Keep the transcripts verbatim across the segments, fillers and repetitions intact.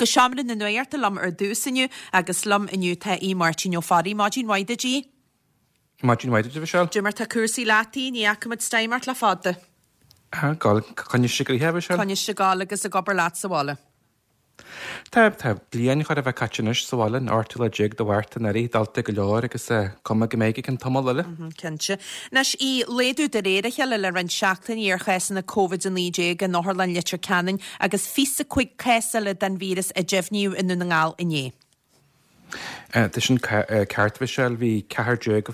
Go seomra na nuachta liom ar dtús inniu agus liom inniu tá Aodh Máirtín Ó Fearraigh. Maidin mhaith duit, a Aoidh. Maidin mhaith duit, a Mhichelle. Cad é mar tá cúrsaí leat, ní fhaca muid stime ort le fada. Gal coinniste go a Mhichelle? Coinniste gal agus ag obair leat sa bhaile. Tá tá bliain chóir a bheith caite anois sa bhaile an ochtú lá déag de Mhárta anuraidh, dalta go leor agus cuma go mbeidh ag an tamall eile. Cinnte. Anois í laghdú de réir a chéile le roinnt seachtainí ar chásanna Covid a naoi déag in Otharlann Leitir Ceanainn agus fiche cúig cás eile den víreas a deimhníodh i nDún na nGall inné. Tá sin ceart Mhichelle bhí ceathair déag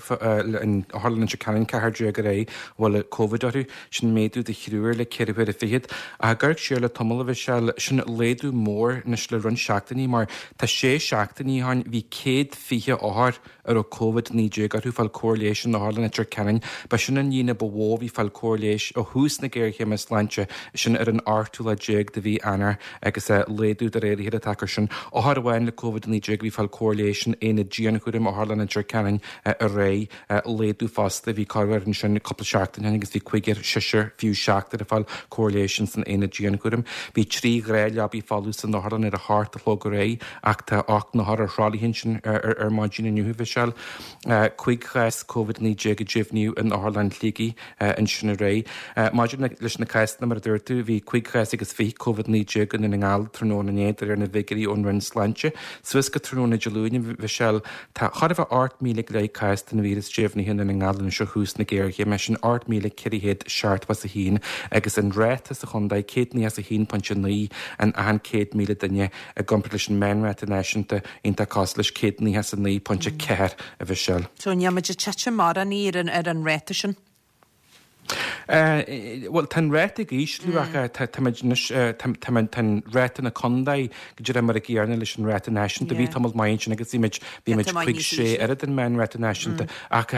in Otharlann Leitir Ceanainn ceathair déag aréir a bhfuil Covid orthu, sin méadú de thriúr le ceithre huaire fichead. Ach ag amharc siar le tamall a Mhichelle, sin laghdú mór anois le roinnt seachtainí mar tá sé seachtainí ó shin bhí céad fiche othar a raibh Covid naoi déag orthu fáil cóir leighis in Otharlann Leitir Ceanainn. Ba sin an líon ba mhó a bhí fáil cóir leighis ó thús na géarchéime sláinte, sin ar an ochtú lá déag de mhí Eanáir agus laghdú de réir a chéile atá air sin. Othar amháin le Covid naoi déag a bhí fáil cóir leighis in aonad dianchúraim Otharlann Leitir Ceanainn aréir, laghdú fosta. Bhí corruair ansin cúpla seachtain ó shin agus bhí cúigear, seisear, fiú seachtar ag fáil cóir leighis ins an aonad dianchúraim. Bhí trí ghnáthleabaí folamh san otharlann ar a hocht a chlog aréir ach tá ocht n-othar ar thralaithe ansin ar maidin inniu, a Mhichelle. Cúig chás Covid naoi déag a deimhníodh in Otharlann Shligigh ansin aréir. Maidir leis na cásanna, mar a dúirt tú, bhí cúig chás agus fiche Covid naoi déag i nDún na nGall tráthnóna inné, de réir na bhfigiúirí ón Roinn Sláinte. Suas go tráthnóna Dé Luain, a Mhichelle, tá chóir a bheith ocht míle go leith cás den víreas deimhnithe i nDún na nGall anois ó thús na géarchéime, sin ocht míle ceithre chéad seachtó is a haon, agus an ráta sa chontae céad nócha is a haon pointe naoi in achan céad míle duine i gcomparáid leis an meánráta náisiúnta iontach cosúil leis céad nócha is a naoi pointe ceathair, a Mhichelle. So níl muid ag titim mórán ar an ar an ráta sin? Bhuel, tá an ráta ag ísliú ach táimid anois, tá an ráta na contae go díreach mar a gcéanna leis an ráta náisiúnta. Bhí tamall maith ansin agus bhí muid, bhí muid cúig sé oiread an meánráta náisiúnta ach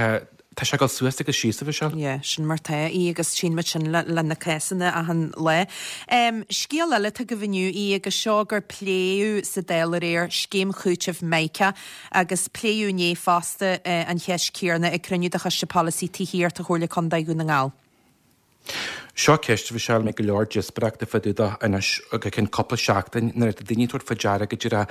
tá sé ag dul suas agus síos, a Mhichelle. Yeah, sin mar tá í agus tchíonn muid sin le, le na cásanna achan lá. Um, scéal eile atá agaibh inniu í agus seo gur pléadh sa Dáil aréir scéim chúitimh Mica agus pléadh inné fosta eh, an cheist chéanna ag cruinniú de Choiste Polasaí Tithíochta Chomhairle Contae Dhún na nGall. Seo ceist a Mhichelle a mbeidh go leor díospóireachta fá dtaobh de anois go ceann cúpla seachtain nuair atá daoine ag tabhairt faoi deara go díreach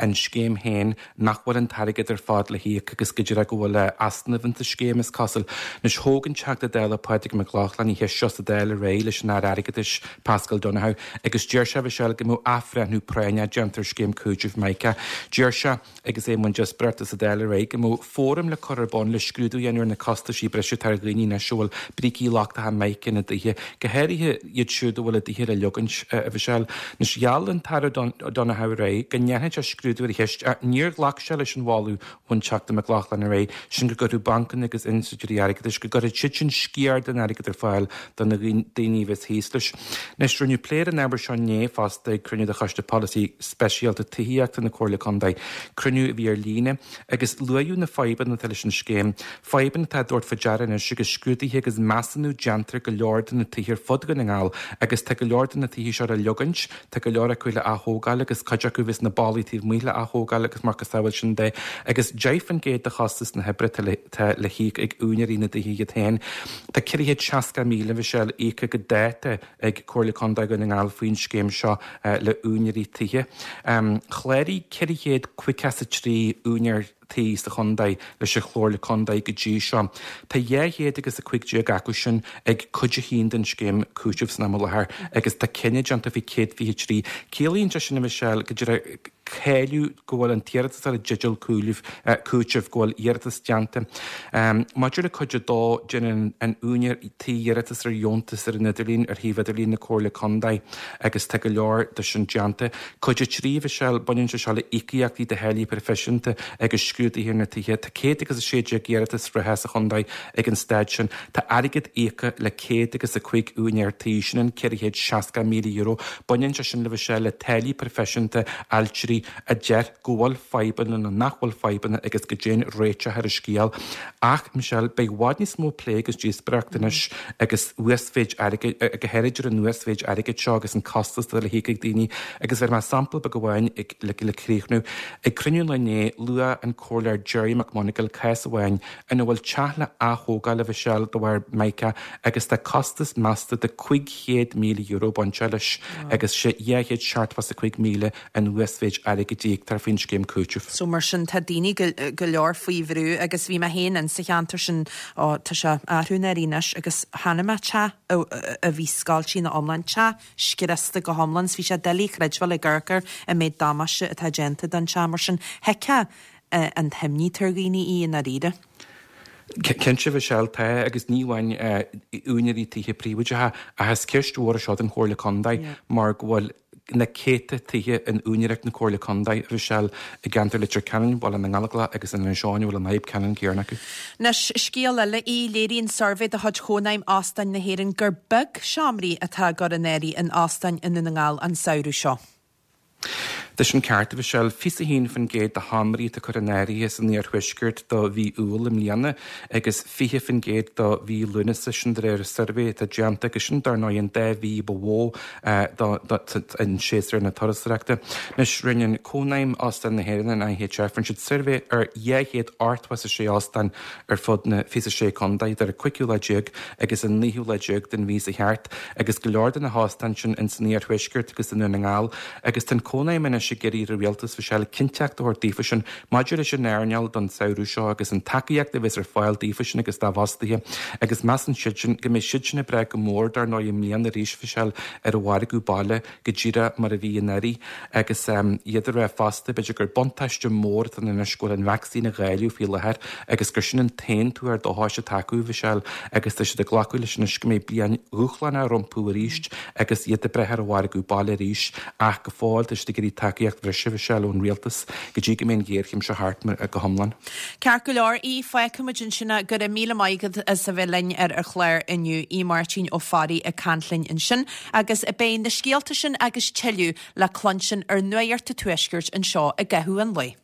an scéim féin nach bhfuil an t-airgead ar fad le híoc agus go díreach go bhfuil easnamh insa scéim is cosúil. Anois thóg an Teachta Dála Pádraig Mac Lochlainn an cheist seo sa Dáil aréir leis an Aire Airgeadais Paschal Donohoe agus deir sé a Mhichelle go mbeadh athbhreithniú práinneach déanta ar scéim cúitimh Mica. Deir sé agus é i mbun díospóireachta sa Dáil aréir go mbeadh fóram le cur ar bun le scrúdú a dhéanamh ar na costaisí breise atá ar dhaoine anois a bhfuil brící lochtacha Mica ina dtithe, go háirithe iad siúd a bhfuil a dtithe le leogaint, a Mhichelle. Anois, gheall an tAire Donohoe aréir go ndéanfadh sé scrúdú ar an cheist ach níor ghlac sé leis an mholadh ón Teachta Mac Lochlainn aréir, sin go gcuirfeadh bancanna agus institiúidí airgeadais, go gcuirfeadh siad sin sciar den airgead ar fáil do na daoine a bheas thíos leis. Anois, rinneadh plé ar an ábhar seo inné fosta ag cruinniú de Choiste Polasaí Speisialta Tithíochta na Comhairle Contae, cruinniú a bhí ar líne, agus luadh na fadhbanna atá leis an scéim, fadhbanna atá á dtabhairt faoi deara anois agus scrúduithe agus measúnú déanta ar go leor de na tithe ar fud Dhún na nGall agus tá go leor de na tithe seo le leogaint, tá go leor acu le ath-thógáil agus cuid acu a bheas na ballaí taobh amuigh le ath-thógáil agus macasamhail sin de agus deich faoin gcéad de chostas na hoibre atá le híoc ag úinéirí na dtithe iad féin. Tá ceithre chéad seasca míle, a Mhichelle, íoctha go dáta ag Comhairle Contae Dhún na nGall faoin scéim seo le úinéirí tithe. Chláraigh ceithre chéad caoga is a trí úinéir tí sa chontae leis an Chomhairle Contae go dtí seo. Tá dhá chéad agus a cúig déag acu sin ag cuid a haon den scéim cúitimh san am i láthair agus tá cinneadh déanta faoi céad fiche trí. Ciallaíonn sé sin, a Mhichelle, go díreach cáiliú go bhfuil an t-iarratasóir i dteideal cúitimh, go bhfuil iarratas déanta. Maidir le cuid a dó, déanann an úinéir tí iarratas ar dheontas ar an idirlíon, ar shuíomh idirlín na Comhairle Contae agus tá go leor de sin déanta. Cuid a trí, a Mhichelle, baineann sé seo le íocaíochtaí do tháillí proifisiúnta agus scrúduithe ar na tithe. Tá céad agus a sé déag iarratas reatha sa chontae ag an staid sin. Tá airgead íoctha le céad agus a cúig úinéir tí, sin an ceithre chéad seasca míle euro. Baineann sé sin, a Mhichelle, le táillí proifisiúnta ailtirí a deir go bhfuil fadhbanna nó nach bhfuil fadhbanna agus go dtéann réiteach ar an scéal. Ach, Michelle, beidh i bhfad níos mó plé agus díospóireachta anois agus uasmhéid airgid, go háirid ar an uasmhéid airgid seo agus an costas atá le híoc ag daoine. Agus bhéarfaidh mé sampla beag amháin le críochnú. Ag cruinniú an lae inné, luaigh an Comhairleoir Gerry McMonagall cás amháin ina bhfuil teach le ath-thógáil a Mhichelle de bharr Mica agus tá costas measta de cúig chéad míle euro bainte leis agus sé dhá chéad seachtó is a cúig míle an uasmhéid airgid a íoctar faoin scéim cúitimh. So mar sin tá daoine go leor faoi bhrú agus bhí mé féin in sa cheantar sin, ó tá sé athrú anois agus chonaic mé teach a bhí scoilte ina iomlán, teach scriosta go hiomlán, 's bhí sé doiligh a chreidbheáil ag amharc air an méid damáiste atá déanta don teach mar sin thuigfeá an t-imní atá ar dhaoine í i ndáiríre. Cinnte Mhichelle tá agus ní amháin úinéirí tithe príobháideacha ach is ceist mhór í seo don Chomhairle Contae mar go bhfuil na céadta tithe in úinéireacht na Comhairle Contae, a Mhichelle, i gceantar Leitir Ceanainn, Baile na nGallóglach agus in Inis Eoghain a bhfuil an fhadhb ceannann céanna acu. Anois, scéal eile í, léiríonn suirbhé de chuid Chónaidhm Óstáin na hÉireann gur beag seomraí atá á gcur in áirithe in óstáin i nDún na nGall an samhradh seo. Tá sin ceart, a Mhichelle, fiche a haon faoin gcéad de sheomraí atá curtha in áirithe san iarthuaisceart do mhí Iúil i mbliana agus fiche faoin gcéad do mhí Lúnasa, sin de réir suirbhé atá déanta agus sin dar ndóigh an dá mhí ba mhó in séasúr na turasóireachta. Anois, rinne an Cónaidhm Óstán na hÉireann, an IHF, rinne siad suirbhé ar dhá chéad ochtó is a sé óstán ar fud na fiche a sé contae idir an cúigiú lá déag agus an naoú lá déag den mhí seo thart agus go leor de na hóstáin sin ins an iarthuaisceart agus i Ndún na nGall agus tá an Cónaidhm anois ag iarraidh ar an rialtas Mhichelle cinnteacht a thabhairt daofa sin maidir leis an earnáil don samhradh seo agus an tacaíocht a bheas ar fáil daofa sin agus dá bhfostaithe agus measann siad sin go mbeidh siad sin ag brath go mór dar ndóigh i mbliana arís Mhichelle ar an mhargadh baile go díreach mar a bhí anuraidh agus iad ag rá fosta b'fhéidir gur buntáiste mór atá ann anois go bhfuil an vacsaín á dháileadh faoi láthair agus gur sin an t-aon tuar dóchais atá acu Mhichelle agus tá siad ag glacadh leis anois go mbeidh bliain dhúshlánach rompu arís agus iad ag brath ar an mhargadh baile arís ach go fóill tá siad ag iarraidh tacaíocht bhreise Mhichelle ón rialtas go dtí go mbeidh an ghéarchéim seo thart go hiomlán. Ceart go leor, Aodh, fágfaimid ansin é. Go raibh míle maith agat as a bheith linn ar an chlár inniu. Aodh Máirtín Ó Fearraigh ag caint linn ansin agus beidh na scéalta sin agus tuilleadh le cluinstin ar Nuacht an Tuaiscirt anseo i gcaitheamh an lae.